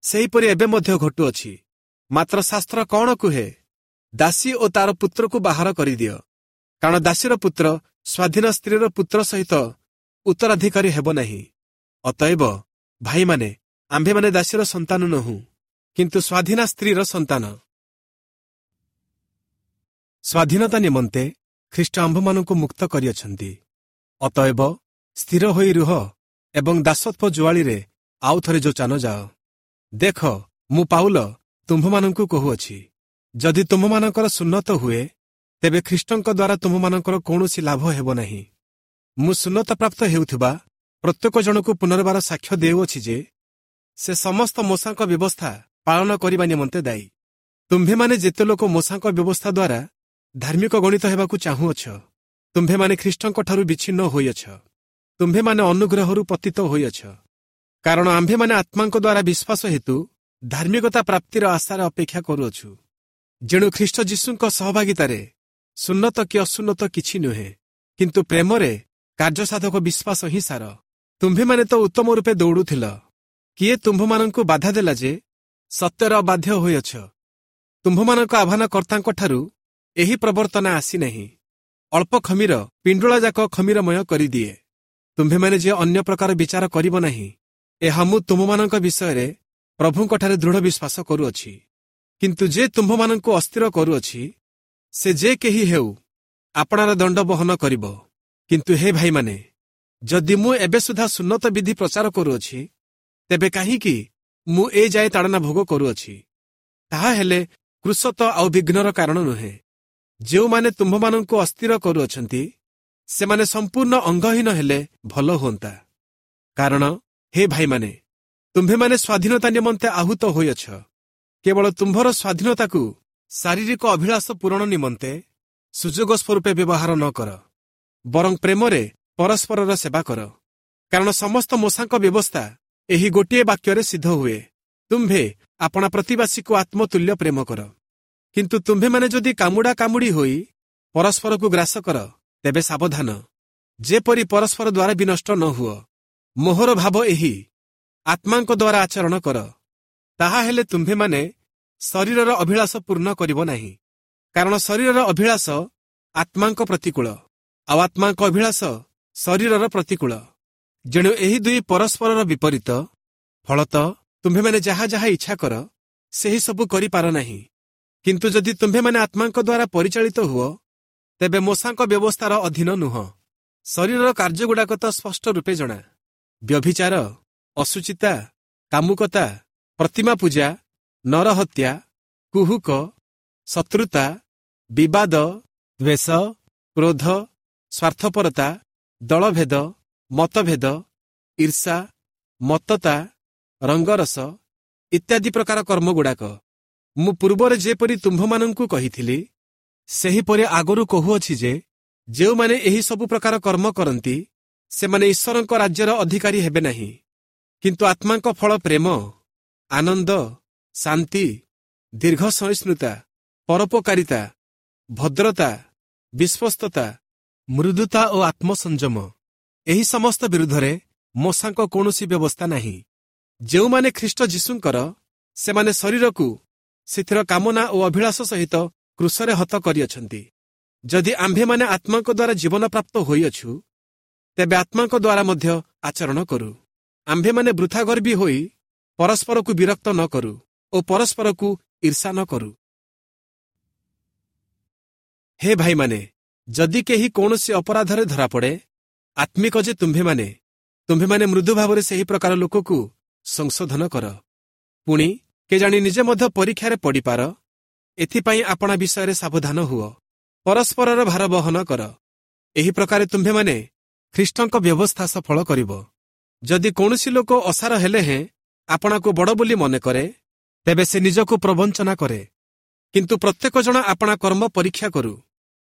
ସେହିପରି ଏବେ ମଧ୍ୟ ଘଟୁଅଛି। ମାତ୍ର ଶାସ୍ତ୍ର କ'ଣ କୁହେ? ଦାସୀ ଓ ତାର ପୁତ୍ରକୁ ବାହାର କରିଦିଅ, କାରଣ ଦାସୀର ପୁତ୍ର ସ୍ୱାଧୀନ ସ୍ତ୍ରୀର ପୁତ୍ର ସହିତ ଉତ୍ତରାଧିକାରୀ ହେବ ନାହିଁ। ଅତଏବ ଭାଇମାନେ, ଆମ୍ଭେମାନେ ଦାସୀର ସନ୍ତାନ ନୋହୁଁ, କିନ୍ତୁ ସ୍ୱାଧୀନା ସ୍ତ୍ରୀର ସନ୍ତାନ। ସ୍ୱାଧୀନତା ନିମନ୍ତେ ଖ୍ରୀଷ୍ଟ ଆମ୍ଭମାନଙ୍କୁ ମୁକ୍ତ କରିଅଛନ୍ତି। ଅତଏବ ସ୍ଥିର ହୋଇ ରୁହ ଏବଂ ଦାସତ୍ୱ ଜୁଆଳିରେ ଆଉ ଥରେ ଯୋଚା ନ ଯାଅ। ଦେଖ, ମୁଁ ପାଉଲ ତୁମ୍ଭମାନଙ୍କୁ କହୁଅଛି, ଯଦି ତୁମ୍ଭମାନଙ୍କର ସୁନ୍ନତ ହୁଏ, ତେବେ ଖ୍ରୀଷ୍ଟଙ୍କ ଦ୍ୱାରା ତୁମ୍ଭମାନଙ୍କର କୌଣସି ଲାଭ ହେବ ନାହିଁ। ମୁଁ ସୁନ୍ନତ ପ୍ରାପ୍ତ ହେଉଥିବା ପ୍ରତ୍ୟେକ ଜଣକୁ ପୁନର୍ବାର ସାକ୍ଷ୍ୟ ଦେଉଅଛି ଯେ ସେ ସମସ୍ତ ମୋଶାଙ୍କ ବ୍ୟବସ୍ଥା ପାଳନ କରିବା ନିମନ୍ତେ ଦାୟୀ। ତୁମ୍ଭେମାନେ ଯେତେ ଲୋକ ମୋଶାଙ୍କ ବ୍ୟବସ୍ଥା ଦ୍ୱାରା ଧାର୍ମିକ ଗଣିତ ହେବାକୁ ଚାହୁଁଅଛ, ତୁମ୍ଭେମାନେ ଖ୍ରୀଷ୍ଟଙ୍କଠାରୁ ବିଚ୍ଛିନ୍ନ ହୋଇଅଛ, ତୁମ୍ଭେମାନେ ଅନୁଗ୍ରହରୁ ପତିତ ହୋଇଅଛ। କାରଣ ଆମ୍ଭେମାନେ ଆତ୍ମାଙ୍କ ଦ୍ୱାରା ବିଶ୍ୱାସ ହେତୁ ଧାର୍ମିକତା ପ୍ରାପ୍ତିର ଆଶାରେ ଅପେକ୍ଷା କରୁଅଛୁ। ଯେଣୁ ଖ୍ରୀଷ୍ଟ ଯୀଶୁଙ୍କ ସହଭାଗିତାରେ ସୁନ୍ନତ କି ଅସୁନ୍ନତ କିଛି ନୁହେଁ, କିନ୍ତୁ ପ୍ରେମରେ କାର୍ଯ୍ୟସାଧକ ବିଶ୍ୱାସ ହିଁ ସାର। ତୁମ୍ଭେମାନେ ତ ଉତ୍ତମ ରୂପେ ଦୌଡ଼ୁଥିଲ, କିଏ ତୁମ୍ଭମାନଙ୍କୁ ବାଧା ଦେଲା ଯେ ସତ୍ୟର ଅବାଧ୍ୟ ହୋଇଅଛ? ତୁମ୍ଭମାନଙ୍କ ଆହ୍ୱାନକର୍ତ୍ତାଙ୍କଠାରୁ ଏହି ପ୍ରବର୍ତ୍ତନା ଆସିନାହିଁ। ଅଳ୍ପ ଖମୀର ପିଣ୍ଡୁଳା ଯାକ ଖମୀରମୟ କରିଦିଏ। ତୁମ୍ଭେମାନେ ଯେ ଅନ୍ୟ ପ୍ରକାର ବିଚାର କରିବ ନାହିଁ, ଏହା ମୁଁ ତୁମ୍ଭମାନଙ୍କ ବିଷୟରେ ପ୍ରଭୁଙ୍କଠାରେ ଦୃଢ଼ ବିଶ୍ୱାସ କରୁଅଛି। କିନ୍ତୁ ଯେ ତୁମ୍ଭମାନଙ୍କୁ ଅସ୍ଥିର କରୁଅଛି, ସେ ଯେ କେହି ହେଉ, ଆପଣାର ଦଣ୍ଡ ବହନ କରିବ। କିନ୍ତୁ ହେ ଭାଇମାନେ, ଯଦି ମୁଁ ଏବେ ସୁଦ୍ଧା ସୁନ୍ନତ ବିଧି ପ୍ରଚାର କରୁଅଛି, ତେବେ କାହିଁକି ମୁଁ ଏ ଯାଏ ତାଡ଼ନା ଭୋଗ କରୁଅଛି? ତାହା ହେଲେ କ୍ରୁଶ ତ ଆଉ ବିଘ୍ନର କାରଣ ନୁହେଁ। ଯେଉଁମାନେ ତୁମ୍ଭମାନଙ୍କୁ ଅସ୍ଥିର କରୁଅଛନ୍ତି, ସେମାନେ ସମ୍ପୂର୍ଣ୍ଣ ଅଙ୍ଗହୀନ ହେଲେ ଭଲ ହୁଅନ୍ତା। କାରଣ ହେ ଭାଇମାନେ, ତୁମ୍ଭେମାନେ ସ୍ୱାଧୀନତା ନିମନ୍ତେ ଆହୁତ ହୋଇଅଛ। କେବଳ ତୁମ୍ଭର ସ୍ୱାଧୀନତାକୁ ଶାରୀରିକ ଅଭିଳାଷ ପୂରଣ ନିମନ୍ତେ ସୁଯୋଗ ସ୍ୱରୂପେ ବ୍ୟବହାର ନ କର, ବରଂ ପ୍ରେମରେ ପରସ୍ପରର ସେବା କର। କାରଣ ସମସ୍ତ ମୋଶାଙ୍କ ବ୍ୟବସ୍ଥା ଏହି ଗୋଟିଏ ବାକ୍ୟରେ ସିଦ୍ଧ ହୁଏ, ତୁମ୍ଭେ ଆପଣା ପ୍ରତିବାସୀକୁ ଆତ୍ମତୁଲ୍ୟ ପ୍ରେମ କର। କିନ୍ତୁ ତୁମ୍ଭେମାନେ ଯଦି କାମୁଡ଼ା କାମୁଡ଼ି ହୋଇ ପରସ୍ପରକୁ ଗ୍ରାସ କର, ତେବେ ସାବଧାନ, ଯେପରି ପରସ୍ପର ଦ୍ୱାରା ବିନଷ୍ଟ ନ ହୁଅ। ମୋହର ଭାବ ଏହି, ଆତ୍ମାଙ୍କ ଦ୍ୱାରା ଆଚରଣ କର, ତାହା ହେଲେ ତୁମ୍ଭେମାନେ ଶରୀରର ଅଭିଳାଷ ପୂର୍ଣ୍ଣ କରିବ ନାହିଁ। କାରଣ ଶରୀରର ଅଭିଳାଷ ଆତ୍ମାଙ୍କ ପ୍ରତିକୂଳ, ଆଉ ଆତ୍ମାଙ୍କ ଅଭିଳାଷ ଶରୀରର ପ୍ରତିକୂଳ। ଯେଣୁ ଏହି ଦୁଇ ପରସ୍ପରର ବିପରୀତ। ଫଳତଃ ତୁମ୍ଭେମାନେ ଯାହା ଯାହା ଇଚ୍ଛା କର, ସେହି ସବୁ କରିପାର ନାହିଁ। କିନ୍ତୁ ଯଦି ତୁମ୍ଭେମାନେ ଆତ୍ମାଙ୍କ ଦ୍ୱାରା ପରିଚାଳିତ ହୁଅ, ତେବେ ମୋଶାଙ୍କ ବ୍ୟବସ୍ଥାର ଅଧୀନ ନୁହଁ। ଶରୀରର କାର୍ଯ୍ୟଗୁଡ଼ାକ ତ ସ୍ପଷ୍ଟ ରୂପେ ଜଣା: ବ୍ୟଭିଚାର, ଅଶୁଚିତା, କାମୁକତା, ପ୍ରତିମା ପୂଜା, ନରହତ୍ୟା, କୁହୁକ, ଶତ୍ରୁତା, ବିବାଦ, ଦ୍ୱେଷ, କ୍ରୋଧ, ସ୍ୱାର୍ଥପରତା, ଦଳଭେଦ, ମତଭେଦ, ଈର୍ଷା, ମତ୍ତତା, ରଙ୍ଗରସ ଇତ୍ୟାଦି ପ୍ରକାର କର୍ମଗୁଡ଼ାକ। ମୁଁ ପୂର୍ବରେ ଯେପରି ତୁମ୍ଭମାନଙ୍କୁ କହିଥିଲି, ସେହିପରି ଆଗରୁ କହୁଅଛି ଯେ, ଯେଉଁମାନେ ଏହି ସବୁ ପ୍ରକାର କର୍ମ କରନ୍ତି, ସେମାନେ ଈଶ୍ୱରଙ୍କ ରାଜ୍ୟର ଅଧିକାରୀ ହେବେ ନାହିଁ। କିନ୍ତୁ ଆତ୍ମାଙ୍କ ଫଳ ପ୍ରେମ, ଆନନ୍ଦ, ଶାନ୍ତି, ଦୀର୍ଘ ସହିଷ୍ଣୁତା, ପରୋପକାରିତା, ଭଦ୍ରତା, ବିଶ୍ୱସ୍ତତା, ମୃଦୁତା ଓ ଆତ୍ମସଂଯମ। ଏହି ସମସ୍ତ ବିରୁଦ୍ଧରେ ମୋଶାଙ୍କ କୌଣସି ବ୍ୟବସ୍ଥା ନାହିଁ। ଯେଉଁମାନେ ଖ୍ରୀଷ୍ଟ ଯୀଶୁଙ୍କର, ସେମାନେ ଶରୀରକୁ ସେଥିର କାମନା ଓ ଅଭିଳାଷ ସହିତ କ୍ରୁଶରେ ହତ କରିଅଛନ୍ତି। ଯଦି ଆମ୍ଭେମାନେ ଆତ୍ମାଙ୍କ ଦ୍ୱାରା ଜୀବନପ୍ରାପ୍ତ ହୋଇଅଛୁ, ତେବେ ଆତ୍ମାଙ୍କ ଦ୍ୱାରା ମଧ୍ୟ ଆଚରଣ କରୁ। ଆମ୍ଭେମାନେ ବୃଥା ଗର୍ବୀ ହୋଇ ପରସ୍ପରକୁ ବିରକ୍ତ ନ କରୁ ଓ ପରସ୍ପରକୁ ଈର୍ଷା ନ କରୁ। ହେ ଭାଇମାନେ, ଯଦି କେହି କୌଣସି ଅପରାଧରେ ଧରାପଡ଼େ, ଆତ୍ମିକ ଯେ ତୁମ୍ଭେମାନେ, ତୁମ୍ଭେମାନେ ମୃଦୁ ଭାବରେ ସେହି ପ୍ରକାର ଲୋକକୁ ସଂଶୋଧନ କର। ପୁଣି କେଜାଣି ନିଜେ ମଧ୍ୟ ପରୀକ୍ଷାରେ ପଡ଼ିପାର। ଏଥିପାଇଁ ଆପଣା ବିଷୟରେ ସାବଧାନ ହୁଅ। ପରସ୍ପରର ଭାର ବହନ କର। ଏହି ପ୍ରକାରେ ତୁମ୍ଭେମାନେ ଖ୍ରୀଷ୍ଟଙ୍କ ବ୍ୟବସ୍ଥା ସଫଳ କରିବ। ଯଦି କୌଣସି ଲୋକ ଅସାର ହେଲେ ହେଁ ଆପଣାକୁ ବଡ଼ ବୋଲି ମନେ କରେ, ତେବେ ସେ ନିଜକୁ ପ୍ରବଞ୍ଚନା କରେ। କିନ୍ତୁ ପ୍ରତ୍ୟେକ ଜଣ ଆପଣା କର୍ମ ପରୀକ୍ଷା କରୁ,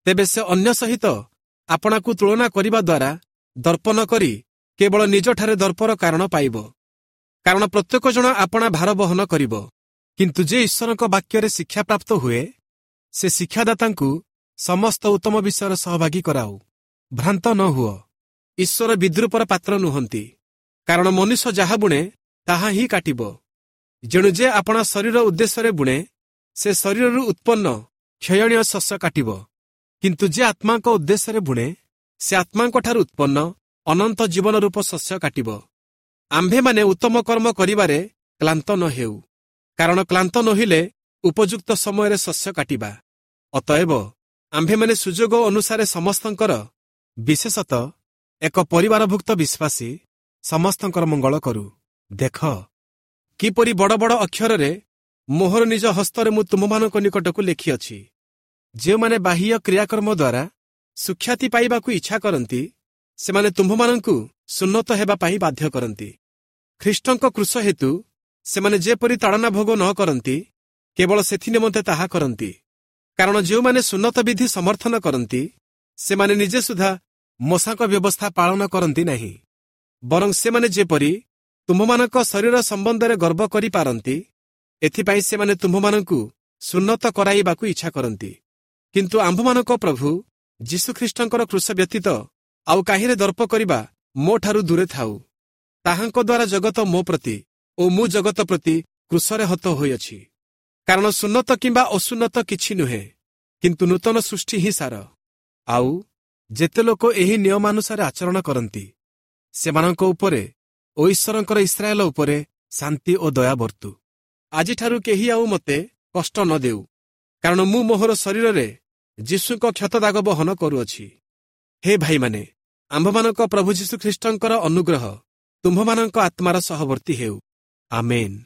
ତେବେ ସେ ଅନ୍ୟ ସହିତ ଆପଣାକୁ ତୁଳନା କରିବା ଦ୍ୱାରା ଦର୍ପ ନ କରି କେବଳ ନିଜଠାରେ ଦର୍ପର କାରଣ ପାଇବ। କାରଣ ପ୍ରତ୍ୟେକ ଜଣ ଆପଣା ଭାର ବହନ କରିବ। କିନ୍ତୁ ଯେ ଈଶ୍ୱରଙ୍କ ବାକ୍ୟରେ ଶିକ୍ଷାପ୍ରାପ୍ତ ହୁଏ, ସେ ଶିକ୍ଷାଦାତାଙ୍କୁ ସମସ୍ତ ଉତ୍ତମ ବିଷୟର ସହଭାଗୀ କରାଉ। ଭ୍ରାନ୍ତ ନ ହୁଅ, ଈଶ୍ୱର ବିଦ୍ରୂପର ପାତ୍ର ନୁହନ୍ତି। କାରଣ ମନୁଷ୍ୟ ଯାହା ବୁଣେ, ତାହା ହିଁ କାଟିବ। ଯେଣୁ ଯେ ଆପଣା ଶରୀର ଉଦ୍ଦେଶ୍ୟରେ ବୁଣେ, ସେ ଶରୀରରୁ ଉତ୍ପନ୍ନ କ୍ଷୟଣୀୟ ଶସ୍ୟ କାଟିବ। କିନ୍ତୁ ଯେ ଆତ୍ମାଙ୍କ ଉଦ୍ଦେଶ୍ୟରେ ବୁଣେ, ସେ ଆତ୍ମାଙ୍କଠାରୁ ଉତ୍ପନ୍ନ ଅନନ୍ତ ଜୀବନ ରୂପ ଶସ୍ୟ କାଟିବ। ଆମ୍ଭେମାନେ ଉତ୍ତମ କର୍ମ କରିବାରେ କ୍ଳାନ୍ତ ନ ହେଉ, କାରଣ କ୍ଳାନ୍ତ ନୋହିଲେ ଉପଯୁକ୍ତ ସମୟରେ ଶସ୍ୟ କାଟିବା। ଅତଏବ ଆମ୍ଭେମାନେ ସୁଯୋଗ ଅନୁସାରେ ସମସ୍ତଙ୍କର, ବିଶେଷତଃ ଏକ ପରିବାରଭୁକ୍ତ ବିଶ୍ୱାସୀ ସମସ୍ତଙ୍କର ମଙ୍ଗଳ କରୁ। ଦେଖ, କିପରି ବଡ଼ ବଡ଼ ଅକ୍ଷରରେ ମୋହର ନିଜ ହସ୍ତରେ ମୁଁ ତୁମମାନଙ୍କ ନିକଟକୁ ଲେଖିଅଛି। ଯେଉଁମାନେ ବାହ୍ୟ କ୍ରିୟାକର୍ମ ଦ୍ୱାରା ସୁଖ୍ୟାତି ପାଇବାକୁ ଇଚ୍ଛା କରନ୍ତି, ସେମାନେ ତୁମ୍ଭମାନଙ୍କୁ ସୁନ୍ନତ ହେବା ପାଇଁ ବାଧ୍ୟ କରନ୍ତି। ଖ୍ରୀଷ୍ଟଙ୍କ କ୍ରୁଶ ହେତୁ ସେମାନେ ଯେପରି ତାଡ଼ନା ଭୋଗ ନ କରନ୍ତି, କେବଳ ସେଥି ନିମନ୍ତେ ତାହା କରନ୍ତି। କାରଣ ଯେଉଁମାନେ ସୁନ୍ନତ ବିଧି ସମର୍ଥନ କରନ୍ତି, ସେମାନେ ନିଜେ ସୁଦ୍ଧା ମୋଶାଙ୍କ ବ୍ୟବସ୍ଥା ପାଳନ କରନ୍ତି ନାହିଁ। ବରଂ ସେମାନେ ଯେପରି ତୁମ୍ଭମାନଙ୍କ ଶରୀର ସମ୍ବନ୍ଧରେ ଗର୍ବ କରିପାରନ୍ତି, ଏଥିପାଇଁ ସେମାନେ ତୁମ୍ଭମାନଙ୍କୁ ସୁନ୍ନତ କରାଇବାକୁ ଇଚ୍ଛା କରନ୍ତି। କିନ୍ତୁ ଆମ୍ଭମାନଙ୍କ ପ୍ରଭୁ ଯୀଶୁଖ୍ରୀଷ୍ଟଙ୍କର କ୍ରୁଶ ବ୍ୟତୀତ ଆଉ କାହିଁରେ ଦର୍ପ କରିବା ମୋଠାରୁ ଦୂରେ ଥାଉ। ତାହାଙ୍କ ଦ୍ୱାରା ଜଗତ ମୋ ପ୍ରତି ଓ ମୁଁ ଜଗତ ପ୍ରତି କ୍ରୁଶରେ ହତ ହୋଇଅଛି। କାରଣ ସୁନ୍ନତ କିମ୍ବା ଅସୁନ୍ନତ କିଛି ନୁହେଁ, କିନ୍ତୁ ନୂତନ ସୃଷ୍ଟି ହିଁ ସାର। ଆଉ ଯେତେ ଲୋକ ଏହି ନିୟମାନୁସାରେ ଆଚରଣ କରନ୍ତି, ସେମାନଙ୍କ ଉପରେ ଓ ଈଶ୍ୱରଙ୍କର ଇସ୍ରାଏଲ ଉପରେ ଶାନ୍ତି ଓ ଦୟା ବର୍ତ୍ତୁ। ଆଜିଠାରୁ କେହି ଆଉ ମୋତେ କଷ୍ଟ ନ ଦେଉ, କାରଣ ମୁଁ ମୋହର ଶରୀରରେ ଯୀଶୁଙ୍କ କ୍ଷତ ଦାଗ ବହନ କରୁଅଛି। ହେ ଭାଇମାନେ, ଆମ୍ଭମାନଙ୍କ ପ୍ରଭୁ ଯୀଶୁଖ୍ରୀଷ୍ଟଙ୍କର ଅନୁଗ୍ରହ ତୁମ୍ଭମାନଙ୍କ ଆତ୍ମାର ସହବର୍ତ୍ତୀ ହେଉ। ଆମେନ୍।